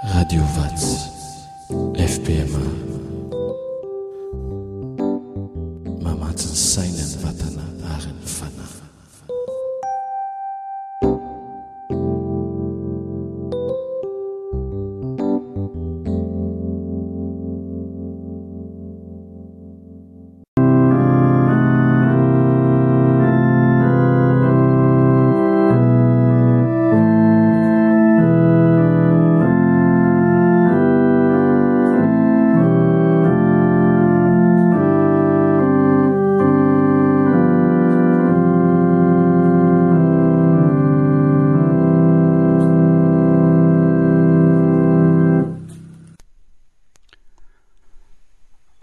Radio Vatsy FPMA Mamatsy ny saina ny vatana ary ny fanahy.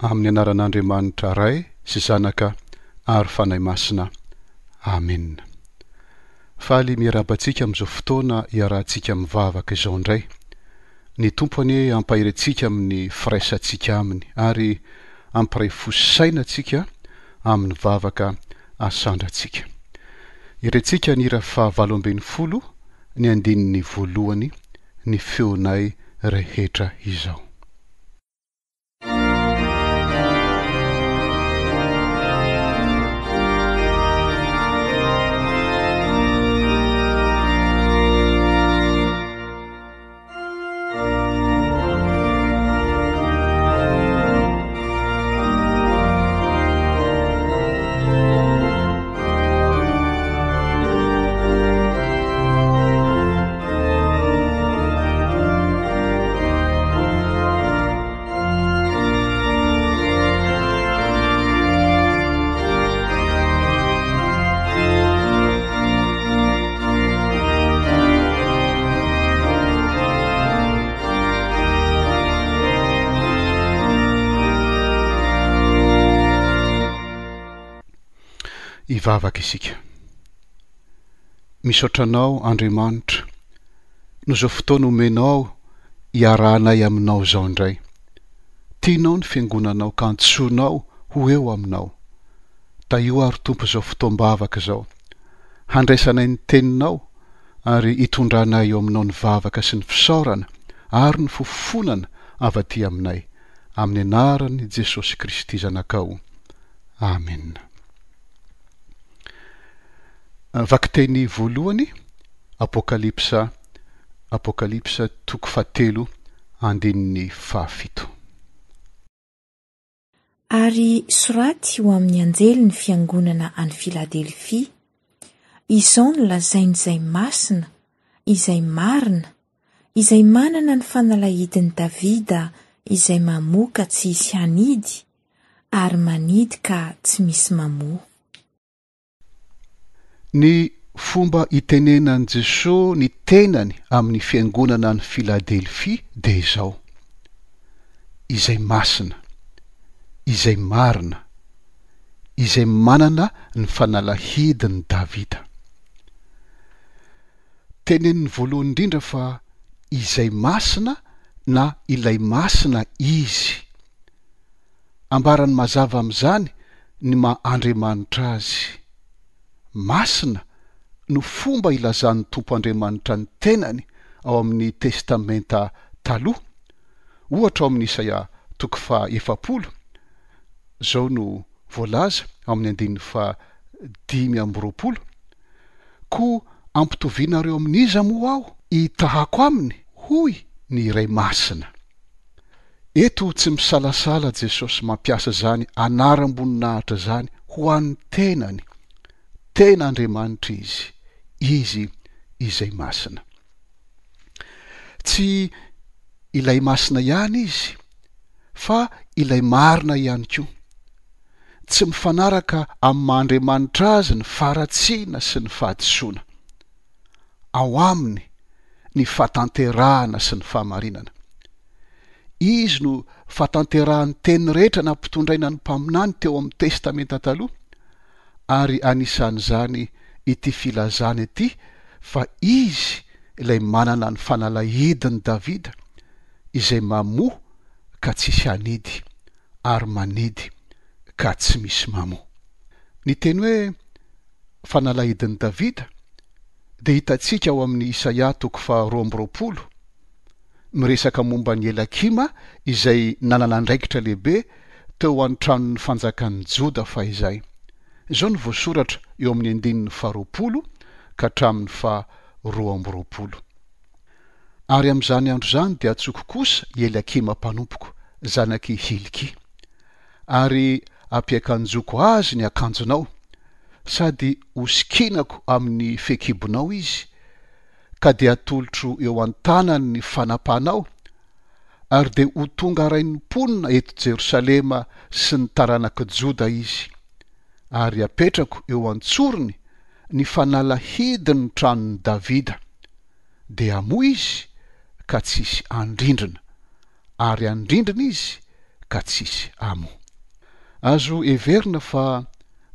Amin'ny anaran'Andriamanitra Ray sy Zanaka ary Fanahy Masina. Amena. Faly miarahaba antsika amin'izao fotoana iarahantsika mivavaka izao indray. Ny Tompo anie hampahery antsika amin'ny firaisantsika Aminy ary hampiray fo sy saina antsika amin'ny vavaka asandrantsika. Irentsika ny hira faha 18 ny andininy voalohany ny feonay rehetra izao. Hivavaka isika. Misaotra Anao Andriamanitra noho izao fotoana omenao iarahanay aminao izao indray. Tianao ny fiangonanao ka antsoinao ho eo aminao. Tahio ary Tompo izao fotoam-bavaka izao. Handraisanay ny teninao ary hitondranay eo aminao ny vavaka sy ny fisaorana ary ny fofonana avy aty aminay. Amin'ny anaran'i Jesosy Kristy Zanakao. Amena. Vakiteny voalohany, Apokalypsa, Apokalypsa toko fahatelo andininy fahafito. Ary soraty ho amin'ny anjelin'ny fiangonana any Filadelfia, Izao no lazain'izay masina, izay marina, izay manana ny fanalahidin'i Davida izay mamoha ka tsy hisy hanidy, ary manidy ka tsy misy mamoha. Ny fomba itenenan'i Jesoa ny tenany amin'ny fiangonana any Filadelfia dia izao, Izay masina, izay marina, izay manana ny fanalahidin'i Davida. Teneniny voalohany indrindra fa izay masina na ilay masina izy. Ambarany mazava amin'izany ny maha Andriamanitra Azy. Masina no fomba ilazan'ny Tompo Andriamanitra ny tenany ao amin'ny Testamenta Taloha. Ohatra ao amin'ny Isaia toko faha 40, izao no voalaza ao amin'ny andininy faha 25, Koa ampitovianareo amin'iza moa aho hitahako aminy? hoy ny Iray Masina. Eto tsy misalasala Jesosy mampiasa izany anaram-boninahitra izany ho an'ny tenany. Tena Andriamanitra Izy, Izy izay Masina. Tsy ilay Masina ihany Izy, fa ilay Marina ihany koa. Tsy mifanaraka amin'ny maha Andriamanitra Azy ny faharatsiana sy ny fahadisoana. Ao Aminy ny fahatanterahana sy ny fahamarinana. Izy no fahatanterahan'ny teny rehetra nampitondraina ny mpaminany teo amin'ny Testamenta Taloha, ary anisan'izany ity filazana ity fa Izy ilay manana ny fanalahidin'i Davida, izay mamoha ka tsisy hanidy, ary manidy ka tsy misy mamoha. Ny teny hoe fanalahidin'i Davida dia hitantsika ao amin'ny Isaia toko faha 22. miresaka momba an'i Elakima izay nanana andraikitra lehibe teo an-tranon'ny fanjakan'i Joda fahizay. Izao no voasoratra eo amin'ny andininy faharoapolo ka hatramin'ny faha 22. Ary amin'izany andro izany dia antsoiko kosa i Eliakima mpanompoko, zanak'i Hilkia. Ary hampiakanjoko azy ny akanjonao, sady hosikinako amin'ny fehikibonao izy, ka dia hatolotro eo an-tanany ny fanapahanao, ary dia ho tonga rain'ny mponina eto Jerosalema sy ny taranak'i Joda izy. Ary hapetrako eo an-tsorony ny fanalahidin'ny tranon'i Davida, dia hamoa izy ka tsy hisy handrindrina, ary handrindrina izy ka tsy hisy hamoa. Azo heverina fa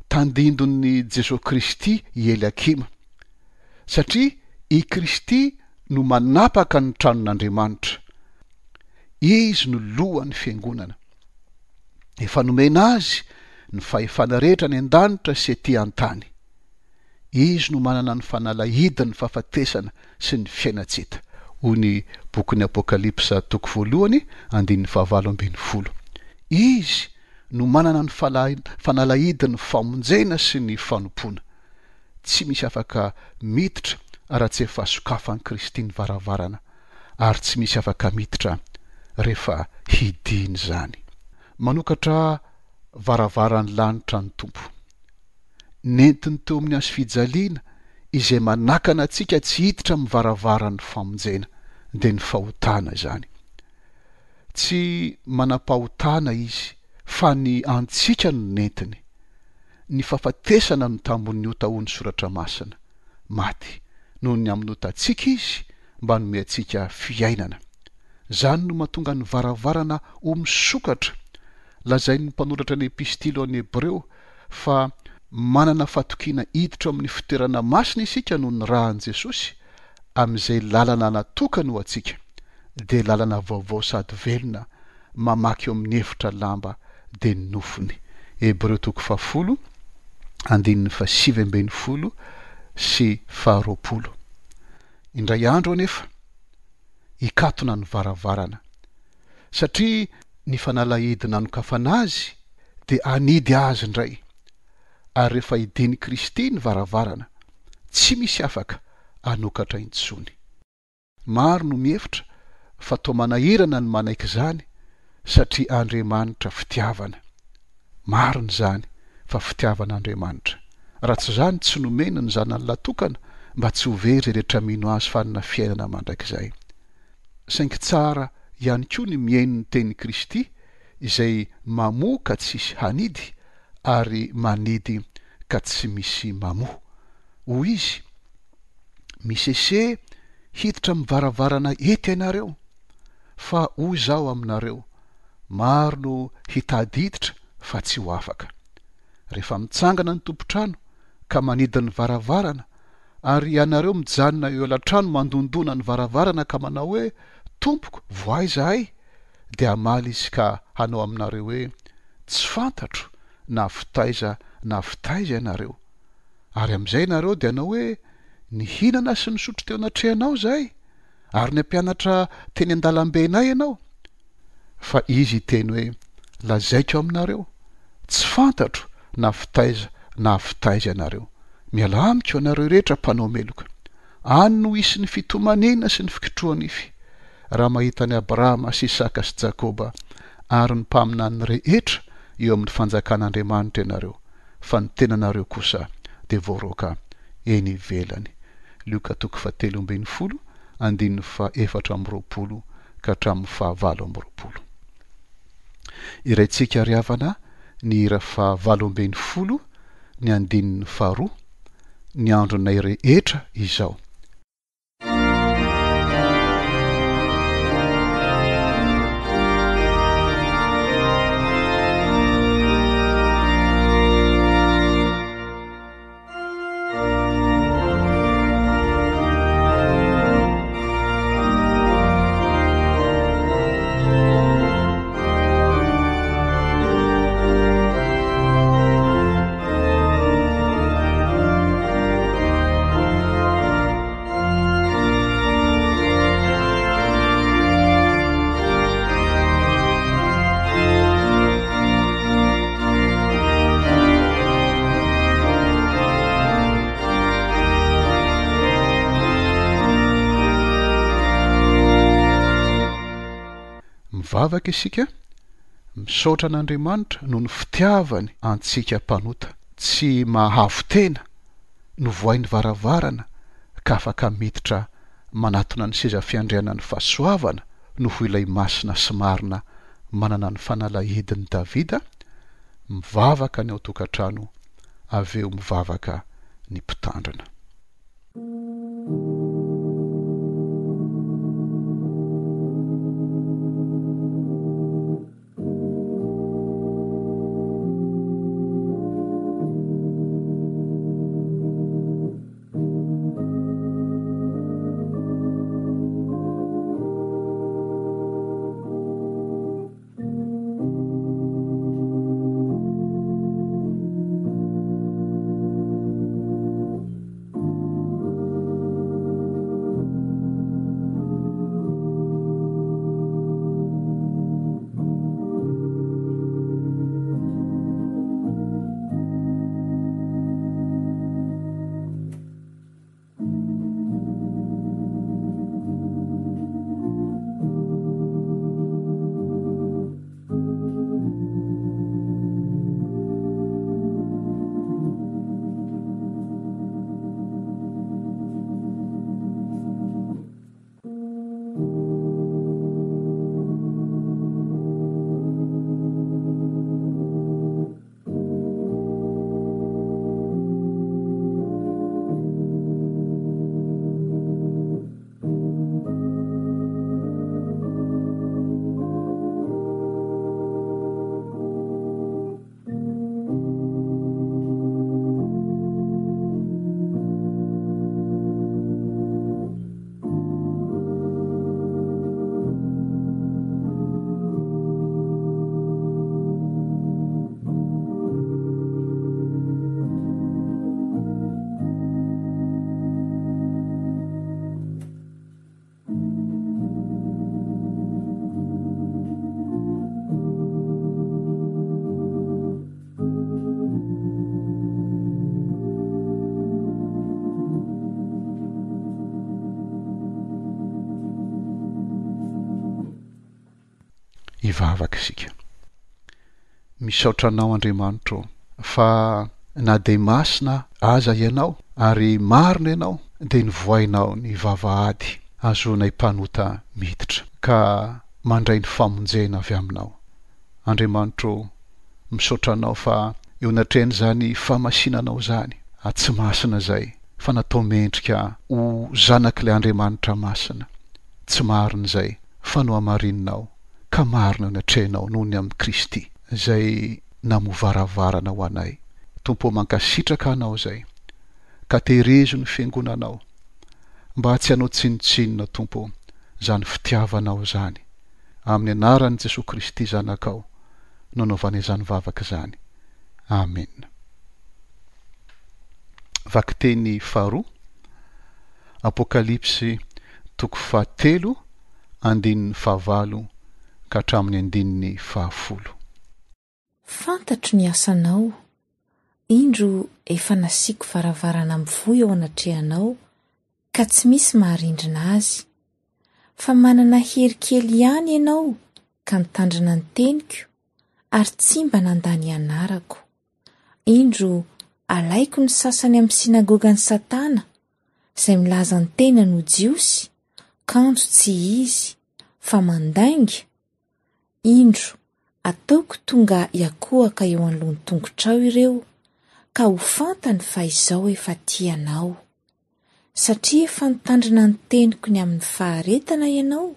tandindon'i Jesoa Kristy i Eliakima, satria i Kristy no manapaka ny tranon'Andriamanitra. Izy no lohan'ny Fiangonana. Efa nomena Azy ny fahefana rehetra any an-danitra sy ety an-tany. Izy no manana ny fanalahidin'ny fahafatesana sy ny fiainan-tsy hita, hoy ny bokin'ny Apokalypsa toko voalohany andininy fahavalo ambinifolo. Izy no manana ny fanalahidin'ny famonjena sy ny fanompoana. Tsy misy afaka miditra raha tsy efa sokafan'i Kristy ny varavarana, ary tsy misy afaka miditra rehefa hidiany izany. Manokatra varavaran'ny lanitra ny Tompo. Nentiny teo amin'ny hazofijaliana izay manakana antsika tsy hiditra amin'ny varavaran'ny famonjena, dia ny fahotana izany. Tsy manam-pahotana Izy, fa ny antsika no nentiny. Ny fahafatesana no tambin'ny ota hoy ny Soratra Masina. Maty noho ny amin'ny otantsika Izy mba hanome antsika fiainana. Izany no mahatonga ny varavarana ho misokatra. Lazain'ny mpanoratra ny Epistily ho an'ny Hebreo fa manana fatokiana hiditra ao amin'ny fitoerana masina isika noho ny ràn'i Jesosy, amin'izay lalana natokany ho antsika, dia lalana vaovao sady velona mamaky eo amin'ny efitra lamba dia ny nofony. Hebreo toko fahafolo, andininy fahasivy ambinifolo sy faharoapolo. Indray andro anefa, hikatona ny varavarana, satria ny fanalahidy nanokafana azy dia hanidy azy indray, ary rehefa hidian'i Kristy ny varavarana, tsy misy afaka hanokatra intsony. Maro no mihevitra fa toa manahirana ny manaiky izany satria Andriamanitra fitiavana. Marina izany fa fitiavana Andriamanitra. Raha tsy izany tsy nomeny ny Zanany Lahy-tokana mba tsy ho very izay rehetra mino Azy fa hanana fiainana mandrakizay. Saingy tsara ihany koa ny mihaino ny tenin'i Kristy izay mamoa ka tsisy hanidy ary manidy ka tsy misy mamoa. Hoy Izy, Misese hiditra amin'ny varavarana ety ianareo, fa hoy Izaho aminareo, maro no hitady hiditra fa tsy ho afaka. Rehefa mitsangana ny tompon-trano ka manidy ny varavarana, ary ianareo mijanona eo alatrano mandondona ny varavarana ka manao hoe, Tompoko, vohay izahay, dia hamaly izy ka hanao aminareo hoe, Tsy fantatro na avy taiza na avy taiza ianareo. Ary amin'izay ianareo dia hanao hoe, Nihinana sy nisotro teo anatrehanao izahay, ary nampianatra teny an-dalambenay ianao. Fa izy hiteny hoe, Lazaiko aminareo, tsy fantatro na avy taiza na avy taiza ianareo. Mialà amiko, ianareo rehetra mpanao meloka. Any no hisy ny fitomaniana sy ny fikitroha-nify, raha mahita an'i Abrahama sy Isaka sy Jakoba ary ny mpaminany rehetra eo amin'ny fanjakan'Andriamanitra ianareo, fa ny tenanareo kosa dia voaroaka eny ivelany. Lioka toko fahatelo ambinifolo, andininy faha 24 ka hatramin'ny faha 28. Iraintsika ry havana ny hira faha 18, ny andininy faharoa, Ny andronay rehetra izao. Mivavaka isika, misaotra an'Andriamanitra noho ny fitiavany antsika mpanota, tsy mahavo tena, novohainy varavarana ka afaka miditra manatona ny seza fiandrianan'ny fahasoavana noho ilay masina sy marina manana ny fanalahidin'i Davida, mivavaka ny ao an-tokantrano avy eo mivavaka ny mpitandrina. Hivavaka isika. Misaotra Anao Andriamanitra ô, fa na dia masina aza Ianao ary marina Ianao dia novohainao ny vavahady ahazoanay mpanota miditra ka mandray ny famonjena avy Aminao. Andriamanitra ô, misaotra Anao fa eo anatrehan'izany fahamasinanao izany, tsy masina izay fa natao mendrika ho zanak'ilay Andriamanitra masina, tsy marina izay fa nohamarininao ka marina eo anatrehanao noho ny amin'i Kristy izay namoha varavarana ho anay. Tompo ô mankasitraka Anao izay ka tehirizo ny fiangonanao mba tsy hanao tsinontsinona Tompo ô izany fitiavanao izany. Amin'ny anaran'i Jesoa Kristy Zanakao no anaovana izany vavaka izany. Amena. Vakiteny faharoa, Apokalypsy toko fahatelo andininy fahavalo ka hatramin'ny andininy fahafolo. Fantatro ny asanao, indro efa nasiako varavarana mivoha eo anatrehanao, ka tsy misy maharindrina azy. Fa manana hery kely ihany ianao ka mitandrina ny teniko, ary tsy mba nandà ny anarako. Indro alaiko ny sasany amin'ny synagogan'i Satana, izay milaza ny tenany ho Jiosy, kanjo tsy izy, fa mandainga, indro, ataoko tonga hiakohaka eo anoloan'ny tongotrao ireo, ka ho fantany fa izao efa tia anao. Satria efa nitandrina ny teniko ny amin'ny faharetana ianao,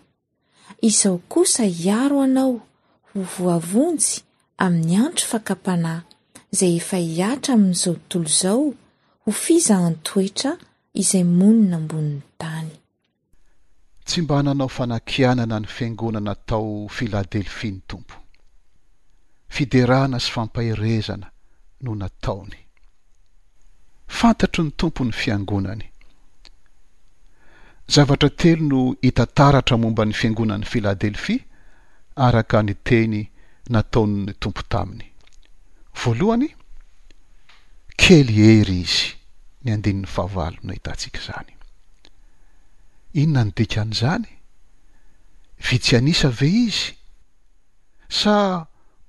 izao kosa hiaro anao ho voavonjy amin'ny andro fakam-panahy izay efa hihatra amin'izao tontolo izao ho fizahan-toetra izay monina ambonin'ny tany. Tsy mba nanao fanakianana ny fiangonana tao Filadelfia ny Tompo. Fiderana sy fampaherezana no nataony. Fantatry ny Tompo ny fiangonany. Zavatra telo no hita taratra momba ny fiangonan'i Filadelfia araka ny teny nataon'ny Tompo taminy. Voalohany, kely hery izy, ny andininy fahavalo no ahitantsika izany. Inona no dikan'izany? Vitsy an'isa ve izy? Sa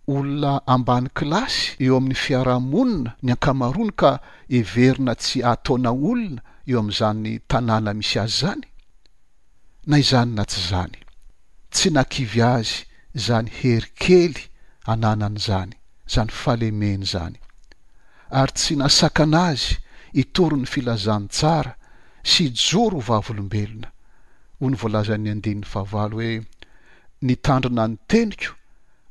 olona ambany kilasy eo amin'ny fiarahamonina ny ankamaroany ka heverina tsy hataona olona eo amin'izany tanàna misy azy izany? Na izany na tsy izany, tsy nakivy azy izany hery kely ananany izany, izany fahalemeny izany, ary tsy nasakana azy hitory ny filazantsara sy hijoro ho vavolombelona. Hoy ny voalazan'ny andininy fahavalo hoe, Nitandrina ny teniko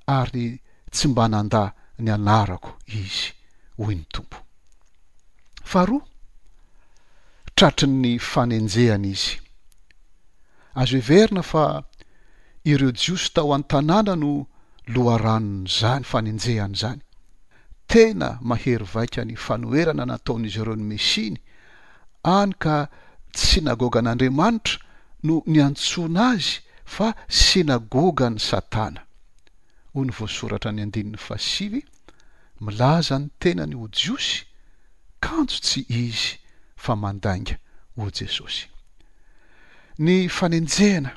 ary tsy mba nandà ny anarako izy, hoy ny Tompo. Faharoa, tratry ny fanenjehana izy. Azo heverina fa ireo Jiosy tao an-tanàna no loharanon'izany fanenjehana izany. Tena mahery vaika ny fanoherana nataon'izy ireo ny Mesiany, hany ka tsy synagogan'Andriamanitra no niantsoana azy fa synagogan'i Satana. Hoy ny voasoratra any andininy fahasivy, Milaza ny tenany ho Jiosy, kanjo tsy izy fa mandainga, hoy Jesosy. Ny fanenjehana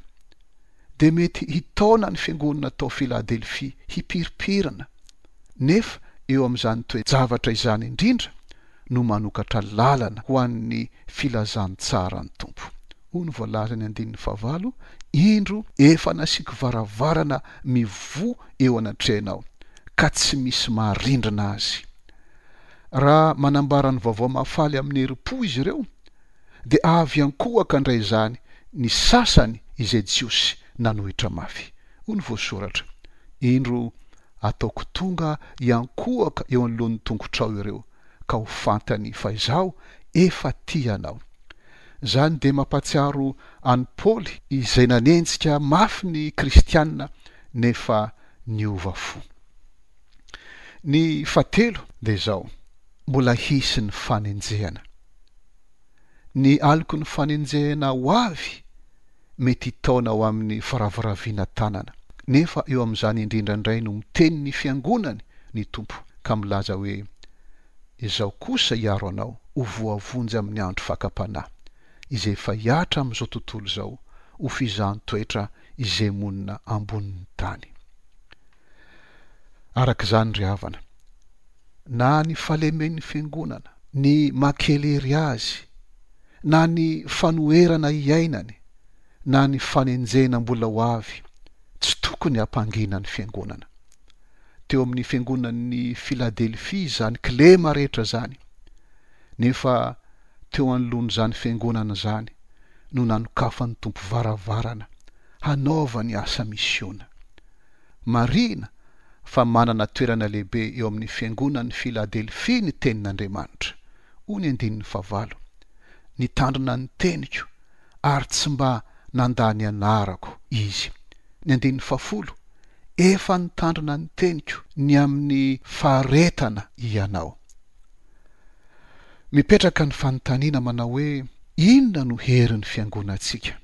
dia mety hitaona ny fiangonana tao Filadelfia hipirimpirina, nefa eo amin'izany toe-javatra izany indrindra no manokatra lalana ho an'ny filazantsaran'ny Tompo. Hoy ny voalazan'ny andininy fahavalo, Indro, efa nasiako varavarana mivoha eo anatrehanao, ka tsy misy maharindrina azy. Raha manambara ny vaovao mahafaly amin'ny herim-po izy ireo, dia avy ankohaka handray izany ny sasany izay Jiosy nanohitra mafy. Hoy ny voasoratra, Indro, ataoko tonga hiankohoka eo anoloan'ny tongotrao ireo, ka ho fantany fa izaho efa tia anao. Izany dia mampahatsiaro an'i Paoly izay nanenjika mafy ny kristiana nefa niova fo. Ny fahatelo dia izao, mbola hisy ny fanenjehana. Ny aloky ny fanenjehana ho avy mety hitaona ho amin'ny firaviravina tanana. Nefa eo amin'izany indrindra indray no miteny ny Fiangonany ny Tompo ka milaza hoe, Izaho kosa hiaro anao ho voavonjy amin'ny andro fakam-panahy, izay efa hihatra amin'izao tontolo izao ho fizahan-toetra izay monina ambonin'ny tany. Araka izany ry havana, na ny fahalemen'ny Fiangonana, ny maha-kely hery azy, na ny fanoherana iainany, na ny fanenjehina mbola ho avy, tsy tokony hampangina ny Fiangonana. Teo amin'ny Fiangonan'ny Filadelfia izany kilema rehetra izany, nefa teo anoloan'izany Fiangonana izany no nanokafan'ny Tompo varavarana hanaovany asa misiona. Marihina fa manana toerana lehibe eo amin'ny Fiangonan'ny Filadelfia ny Tenin'Andriamanitra. Hoy ny andininy fahavalo, Nitandrina ny teniko ary tsy mba nandà ny anarako izy. Ny andininy fahafolo, Efa nitandrina ny teniko ny amin'ny faharetana ianao. Mipetraka ny fanontaniana manao hoe, Inona no herin'ny fiangonantsika?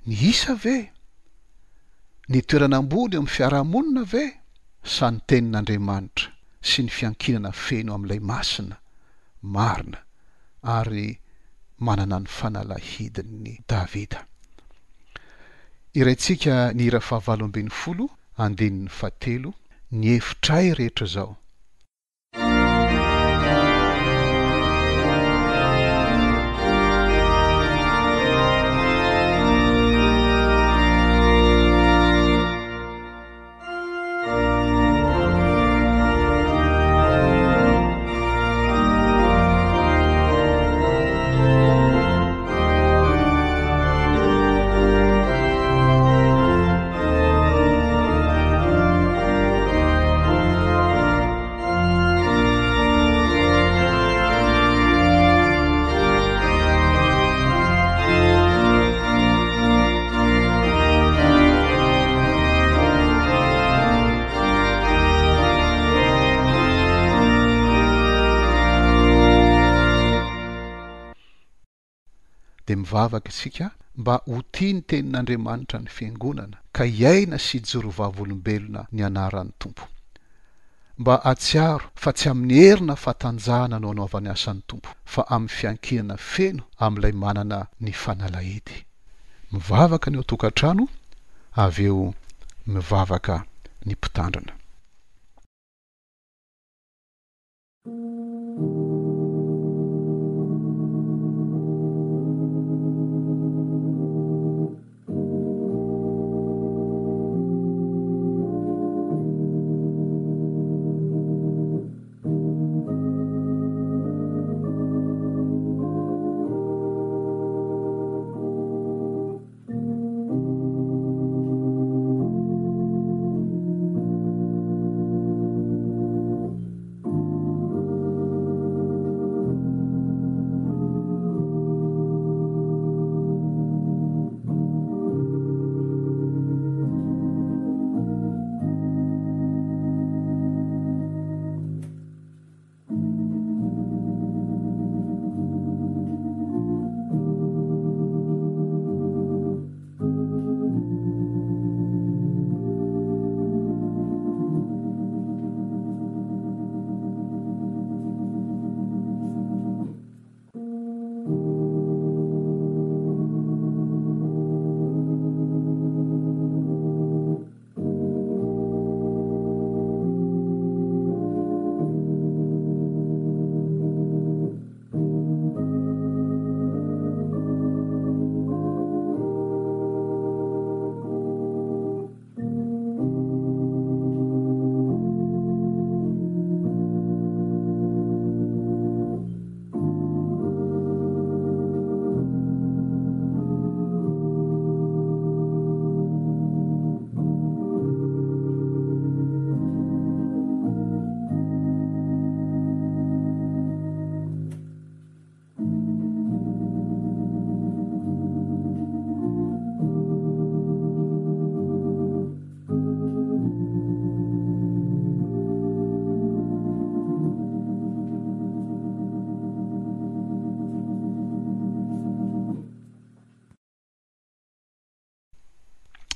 Ny isa ve? Ny toerana ambony eo amin'ny fiarahamonina ve? Sa ny Tenin'Andriamanitra sy ny fiankinana feno amin'ilay Masina, marina, ary manana ny fanalahidin'i Davida? Hiraintsika ny hira fahavalo ambinifolo, andininy fahatelo, Ny hevitray rehetra izao. Dia mivavaka isika mba ho tia ny Tenin'Andriamanitra ny Fiangonana ka hiaina sy hijoro vavolombelona ny anaran'ny Tompo. Mba hahatsiaro fa tsy amin'ny hery na fahatanjahana no anaovany asa ny Tompo fa amin'ny fiankinana feno amin'ilay manana ny fanalahidy. Mivavaka ny ao an-tokantrano, avy eo mivavaka. ny mpitandrina.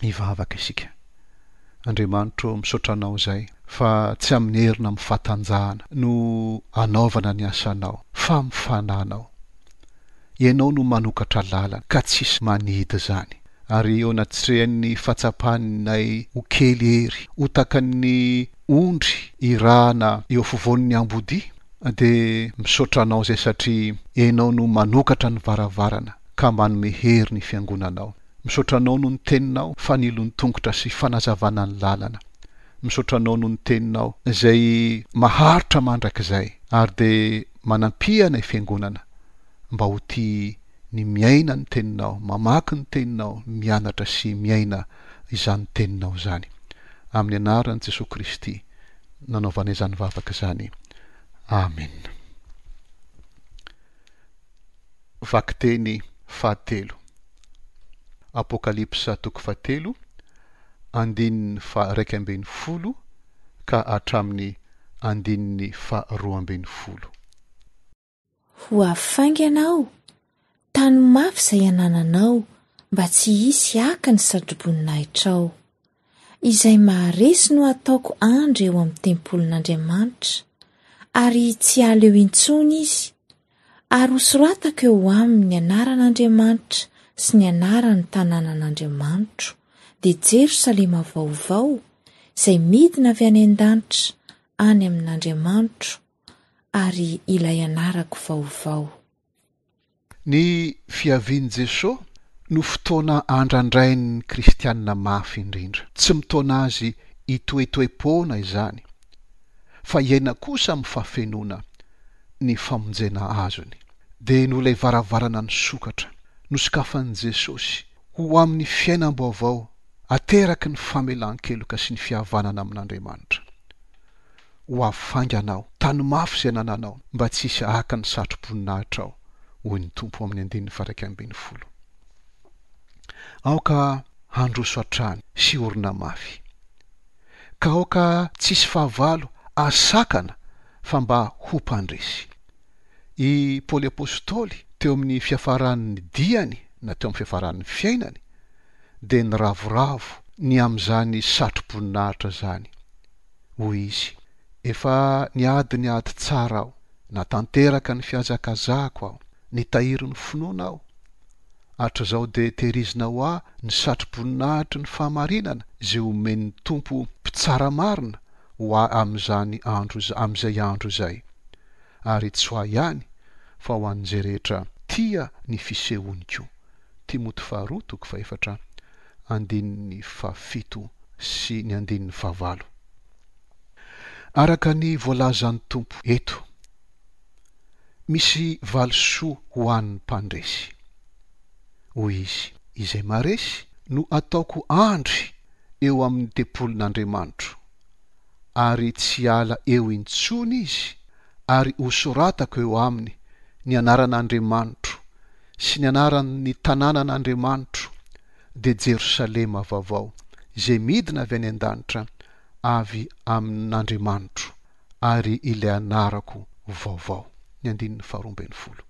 Hivavaka isika. Andriamanitro ô, misaotra Anao izay fa tsy amin'ny hery na amin'ny fahatanjahana no anaovana ny asanao fa amin'ny Fanahinao. Ianao no manokatra lalana ka tsisy manidy izany. Ary eo anatrehan'ny fahatsapanay ho kely hery, ho takan'ny ondry irahana eo afovoan'ny ambodia, dia misaotra Anao izay satria Ianao no manokatra ny varavarana ka manome hery ny Fiangonanao. Misaotra Anao noho ny Teninao, fanilon'ny tongotra sy fanazavana ny lalana. Misaotra Anao noho ny Teninao izay maharitra mandrakizay ary dia manampia anay Fiangonana mba ho tia ny miaina ny Teninao, mamaky ny Teninao, mianatra sy miaina izany Teninao izany. Amin'ny anaran'i Jesoa Kristy nanaovanay izany vavaka izany. Amena. Vakiteny fahatelo. Apokalypsa toko fahatelo, andininy faha-11 ka hatramin'ny andininy faha-12. Ho avy faingana aho, tano mafy izay anananao mba tsy hisy haka ny satroboninaitrao. Izay maharesy no hataoko andry eo amin'ny tempolin'Andriamanitra, ary tsy hiala eo intsony izy, ary hosoratako eo aminy ny anaran'Andriamanitra sy ny anaran'ny tanànan'Andriamanitro, dia Jerosalema vaovao, izay midina avy any an-danitra any amin'Andriamanitro, ary ilay anarako vaovao. Ny fiavian'i Jesoa no fotoana andrandrain'ny kristiana mafy indrindra. Tsy mitaona azy hitoetoe-poana izany, fa hiaina kosa amin'ny fahafenoana ny famonjena azony. Dia noho ilay varavarana nisokatra, nosokafan'i Jesosy ho amin'ny fiainam-baovao ateraky ny famelan-keloka sy ny fihavanana amin'Andriamanitra. Ho avy faingana aho. Tano mafy izay anananao, mba tsy hisy haka ny satro-boninahitrao, hoy ny Tompo amin'ny andininy faha-11. Aoka handroso hatrany sy hiorina mafy. Ka aoka tsy hisy fahavalo hahasakana fa mba ho mpandresy. I Paoly Apostoly, teo amin'ny fiafaran'ny diany na teo amin'ny fiafaran'ny fiainany, dia niravoravo ny amin'izany satro-boninahitra izany. Hoy izy, Efa niady ny ady tsara aho, natanteraka ny fihazakazahako aho, nitahiry ny finoana aho. Hatrizao dia tehirizina ho ahy ny satroboninahitry ny fahamarinana izay omen'ny Tompo mpitsara marina ho ahy amin'izany andro amin'izay andro izay. Ary tsy ho ahy ihany fa ho an'izay rehetra tia ny fisehoany koa. Timoty faharoa toko fahefatra andininy fahafito sy ny andininy fahavalo. Araka ny voalazan'ny Tompo eto, misy valisoa ho an'ny mpandresy. Hoy Izy, Izay maharesy no ataoko andry eo amin'ny tempolin'Andriamanitro, ary tsy hiala eo intsony izy, ary hosoratako eo aminy ny anaran'Andriamanitro sy ny anaran'ny tanànan'Andriamanitro, dia Jerosalema vaovao, izay midina avy any an-danitra avy amin'Andriamanitro, ary ilay anarako vaovao. Ny andininy faharoa ambin'ny folo.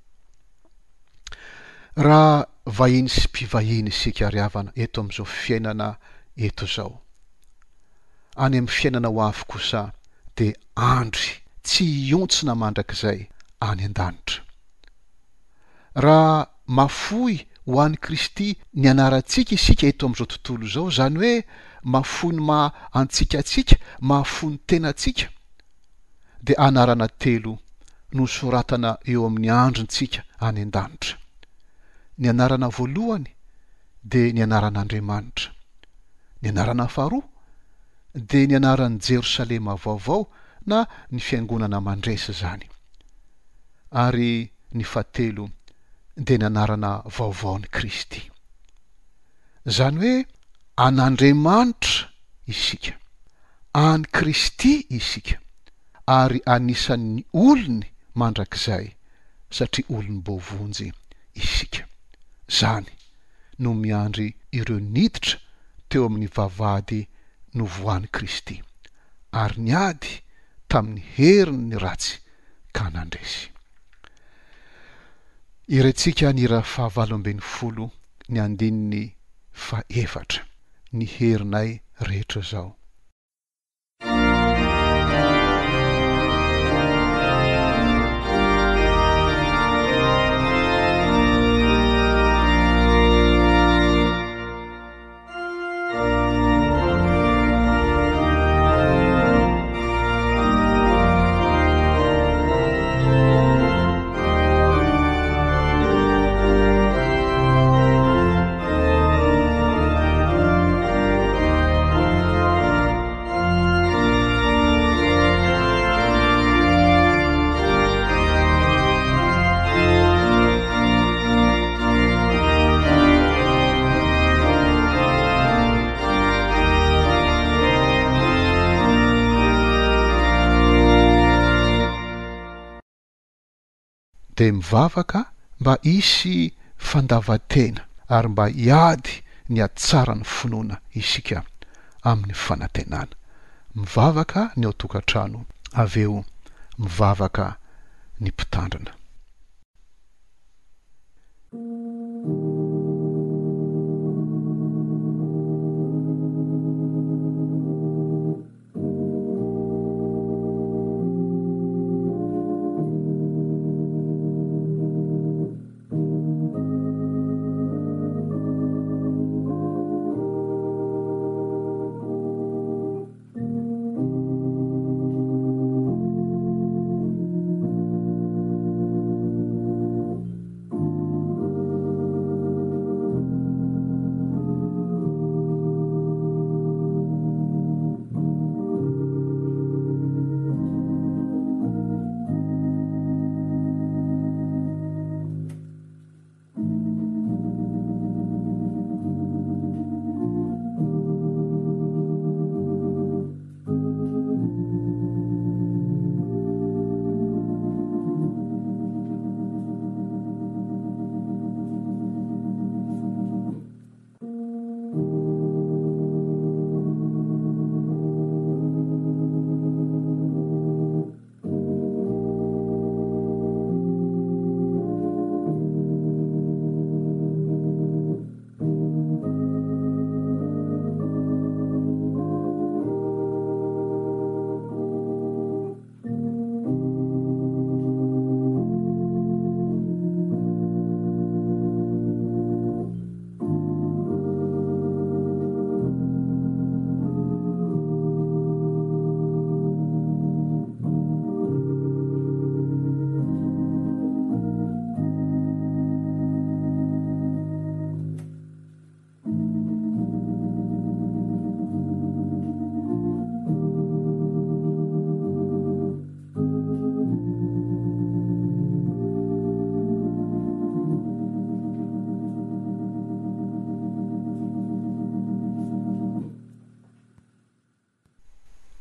Raha vahiny sy mpivahiny isika ry havana eto amin'izao fiainana eto izao, any amin'ny fiainana ho avy kosa dia andry tsy hihontsina mandrakizay any an-danitra. Raha mafoy ho an'i Kristy ny anarantsika isika eto amin'izao tontolo izao, izany hoe mafoy ny maha antsika antsika, mahafoy ny tenantsika, dia anarana telo no soratana eo amin'ny andrintsika any an-danitra. Ny anarana voalohany dia ny anaran'Andriamanitra. Ny anarana faharoa dia ny anaran'i Jerosalema vaovao na ny fiangonana mandresy izany. Ary ny fahatelo dia ny anarana vaovaon'i Kristy. Izany hoe an'Andriamanitra isika, an'i Kristy isika, ary anisan'ny olony mandrakizay satria olom-boavonjy isika. Izany no miandry ireo niditra teo amin'ny vavahady novohan'i Kristy, ary niady tamin'ny herin'ny ratsy ka nandresy. Irentsika ny hira fahavalo 18 ny andininy fahefatra, Ny herinay rehetra izao. Dia mivavaka mba hisy fandavan-tena ary mba hiady ny hatsaran'ny finoana isika amin'ny fanantenana. Mivavaka ny ao tokantrano avy eo mivavaka ny mpitandrina.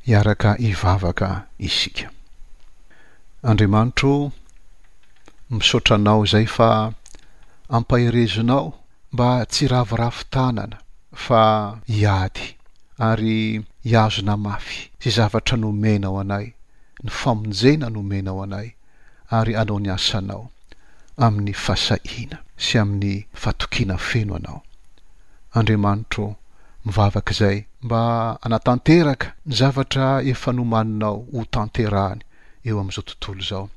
Hiaraka hivavaka isika. Andriamanitro ô, misaotra Anao izay fa ampaherezinao mba tsy hiraviravy tanana fa hiady ary hihazona mafy izay zavatra nomenao anay, ny famonjena nomenao anay ary hanao ny asanao amin'ny fahasahiana sy amin'ny fatokiana feno Anao. Andriamanitro ô, mivavaka izay mba hanatanteraka ny zavatra efa nomaninao ho tanterahany eo amin'izao tontolo izao,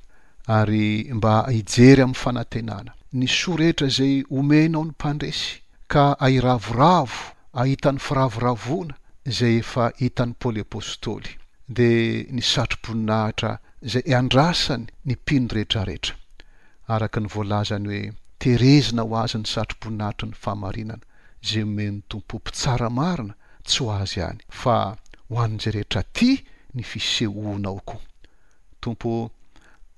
ary mba hijery amin'ny fanantenana ny soa rehetra izay omenao ny mpandresy, ka hahiravoravo hahita ny firavoravoana izay efa hitan'i Paoly Apostoly, dia ny satroboninahitra izay andrasany ny mpino rehetrarehetra, araka ny voalazany hoe, Terezina ho azy ny satroboninahitry ny fahamarinana, izay omen'ny Tompo mpitsara marina, tsy ho azy ihany, fa ho an'izay rehetra tia ny fisehoanao koa. Tompo ô,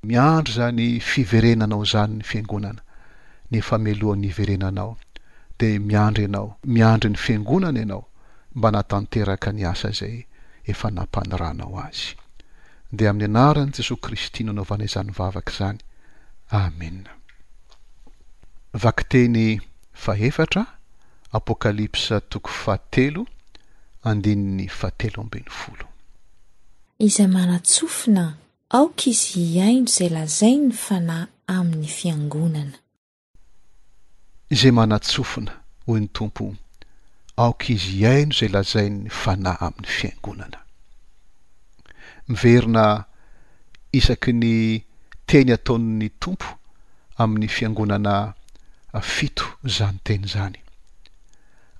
miandry izany fiverenanao izany ny Fiangonana, nefa mialohan'ny hiverenanao, dia miandry Ianao, miandry ny Fiangonana Ianao, mba hanatanteraka ny asa izay efa nampaniranao azy. Dia amin'ny anaran'i Jesoa Kristy no anaovana izany vavaka izany. Amena. Vakiteny fahefatra, Apokalypsa toko fahatelo, andininy fahatelo ambin'ny folo. Izay manan-tsofina, aoka izy hihaino izay lazain'ny Fanahy amin'ny fiangonana. Izay manan-tsofina, hoy ny Tompo, aoka izy hihaino izay lazain'ny Fanahy amin'ny fiangonana. Miverina isaky ny teny ataon'ny Tompo amin'ny fiangonana fito izany teny izany.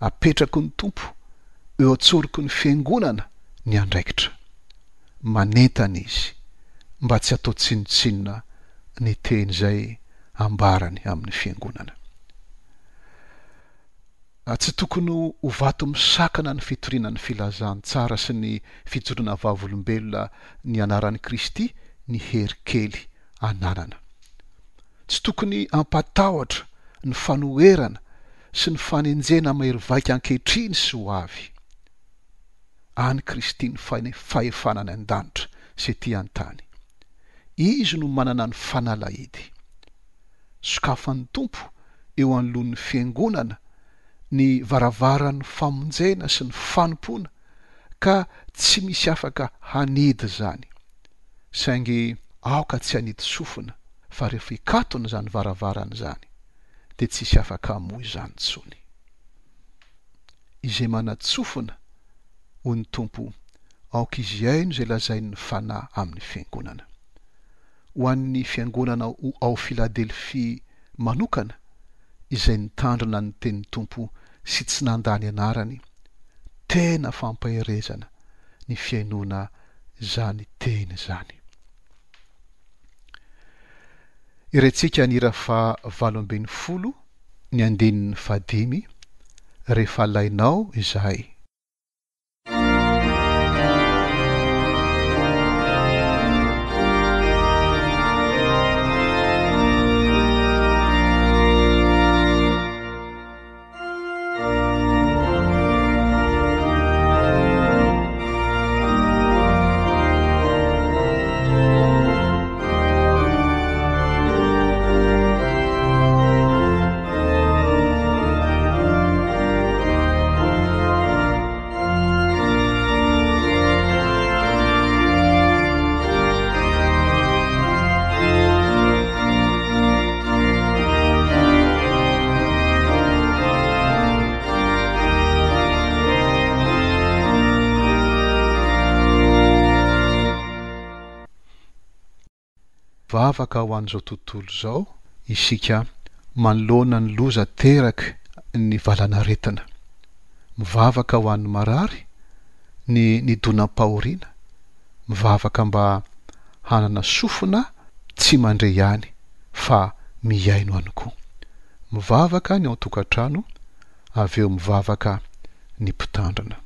Apetraky ny Tompo eo an-tsoroky ny fiangonana ny andraikitra. Manentana Izy mba tsy hatao tsinontsinona ny teny izay ambarany amin'ny fiangonana. Tsy tokony ho vato misakana ny fitoriana ny filazantsara sy ny fijoroana vavolombelona ny anaran'i Kristy ny hery kely ananana. Tsy tokony hampatahotra ny fanoherana sy ny fanenjehana mahery vaika ankehitriny sy ho avy. An'i Kristy ny fahefana any an-danitra sy ety an-tany. Izy no manana ny fanalahidy. Sokafan'ny Tompo eo anoloan'ny Fiangonana ny varavaran'ny famonjena sy ny fanompoana ka tsy misy afaka hanidy izany. Saingy aoka tsy hanidy sofina fa rehefa hikatona izany varavarana izany dia tsy hisy afaka hamoha izany intsony. Izay manan-tsofina, hoy ny Tompo, aoka izy hihaino izay lazain'ny Fanahy amin'ny Fiangonana. Ho an'ny Fiangonana ho ao Filadelfia manokana, izay nitandrina ny tenin'ny Tompo sy tsy nandà ny anarany, tena fampaherezana ny fihainoana izany teny izany. Irentsika ny hira faha 18 ny andininy fahadimy, Rehefa alainao izahay. Vavaka ho an'izao tontolo izao isika manoloana ny loza ateraky ny valanaretina. Mivavaka ho an'ny marary, ny nidonam-pahoriana, mivavaka mba hanana sofina tsy mandre ihany fa mihaino ihany koa. Mivavaka ny ao an-tokantrano, avy eo mivavaka ny mpitandrina.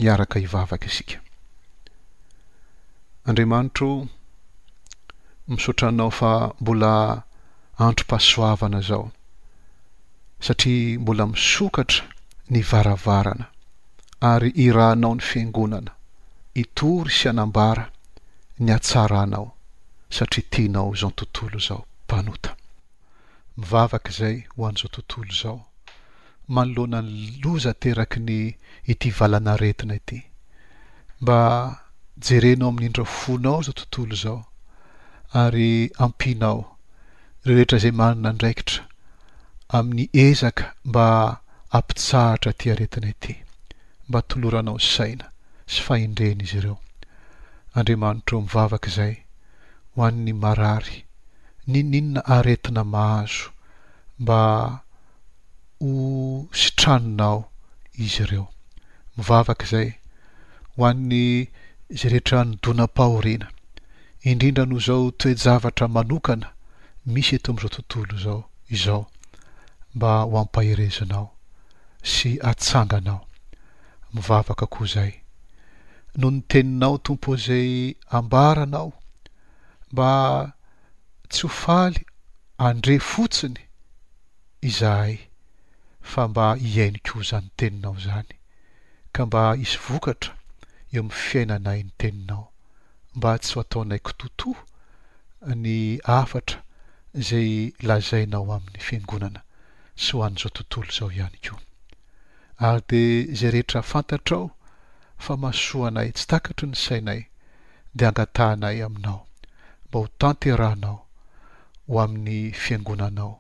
Hiaraka hivavaka isika. Andriamanitro o, misaotra Anao fa mbola androm-pahasoavana izao, satria mbola misokatra ny varavarana ary irahanao ny Fiangonana hitory sy hanambara ny hatsaranao satria tianao izao tontolo izao mpanota. Mivavaka izay ho an'izao tontolo izao manoloana ny loza ateraky ny ity valan'aretina ity. Mba jerenao amin'ny indra fonao izao tontolo izao ary ampianao ireo rehetra izay manana andraikitra amin'ny ezaka mba hampitsahatra ity aretina ity. Mba toloranao saina sy fahendrena izy ireo. Andriamanitra ô mivavaka izay ho an'ny marary n'inon'inona aretina mahazo mba ho sitraninao izy ireo. Mivavaka izay ho an'ny izay rehetra nidonam-pahoriana, indrindra noho izao toe-javatra manokana misy eto amin'izao tontolo izao izao, mba ho ampaherezinao sy atsanganao. Mivavaka koa izay noho ny teninao Tompo izay ambaranao mba tsy ho faly handre fotsiny izahay fa mba hihaino koa izany teninao izany ka mba hisy vokatra eo amin'ny fiainanay ny teninao mba tsy ho ataonay kitotoa ny hafatra izay lazainao amin'ny fiangonana sy ho an'izao tontolo izao ihany koa. Ary dia izay rehetra fantatrao fa mahasoa anay tsy takatry ny sainay dia angatahanay aminao mba ho tanterahanao ho amin'ny Fiangonanao,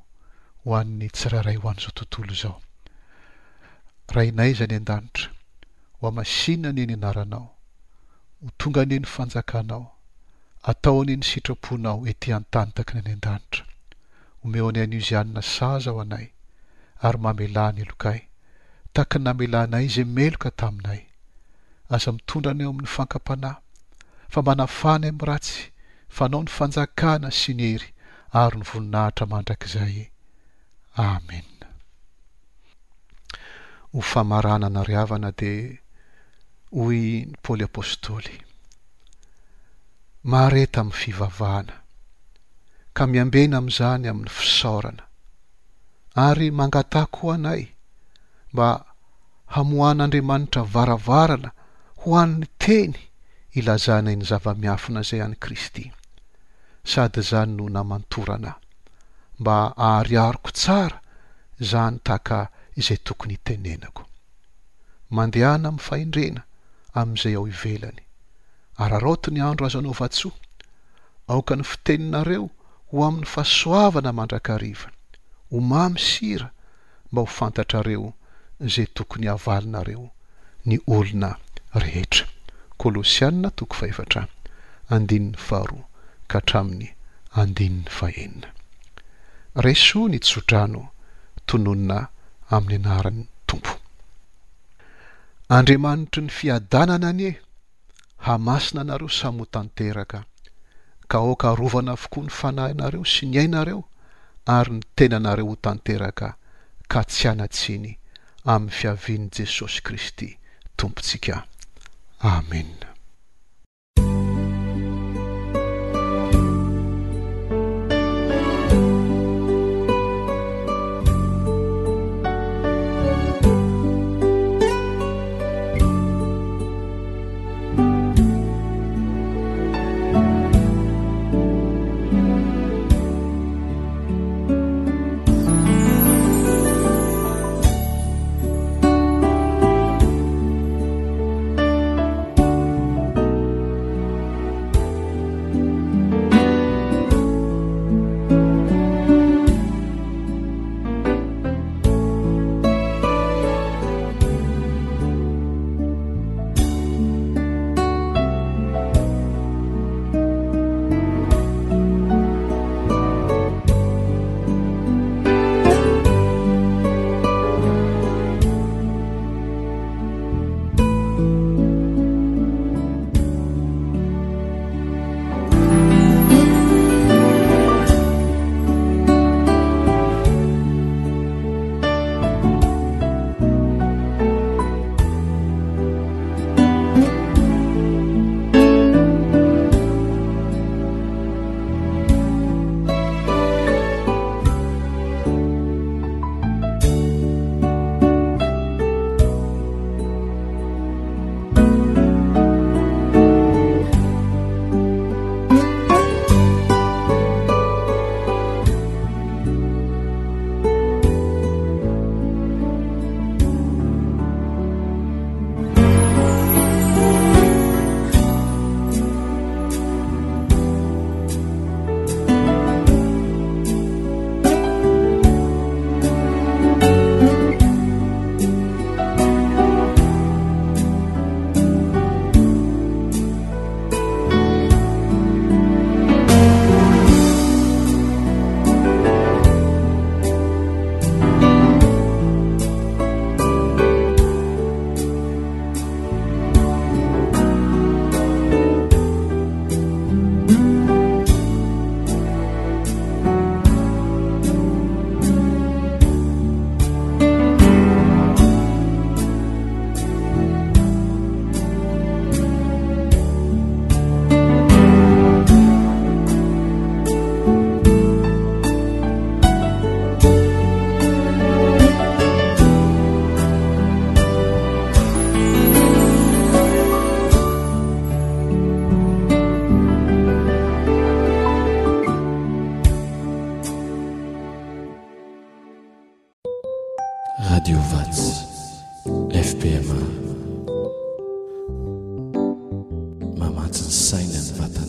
ho an'ny tsirairay ho an'izao tontolo izao. Rainay izay any an-danitra, ho hamasinina anie ny anaranao, ho tonga anie ny fanjakanao, atao anie ny sitraponao ety an-tany tahaka ny any an-danitra. Omeo anay anio izay hanina sahaza ho anay, ary mamelà ny helokay, tahaka ny namelanay izay meloka taminay. Aza mitondra anay ao amin'ny fankam-panahy, fa manafaha anay amin'ny ratsy, fa Anao ny fanjakana sy ny hery ary ny voninahitra mandrakizay. Amena. Ho famaranana ry havana dia hoy ny Paoly Apostoly, Mahareta amin'ny fivavahana, ka miambena amin'izany amin'ny fisaorana, ary mangataha koa anay mba hamoahan'Andriamanitra varavarana ho an'ny teny ilazanay ny zava-miafina izay an'i Kristy, sady izany no namantorana ahy, mba haharihariko tsara izany tahaka izay tokony hitenenako. Mandehana amin'ny fahendrena amin'izay ao ivelany. Araraoty ny andro azo anaovan-tsoa. Aoka ny fiteninareo ho amin'ny fahasoavana mandrakariva, ho mamy sira mba ho fantatrareo izay tokony havalinareo ny olona rehetra. Kolosiana toko fahefatra andininy faharoa ka hatramin'ny andininy fahenina. Raiso ny tsodrano tononina amin'ny anaran'ny Tompo. Andriamanitry ny fiadanana anie hamasina anareo samy ho tanteraka, ka aoka harovana avokoa ny fanahinareo sy ny ainareo ary ny tenanareo ho tanteraka ka tsy hanan-tsiny amin'ny fiavian'i Jesosy Kristy Tompontsika. Amena. Radio Vatsy, FPMA. Mamatsy ny saina ny vatana.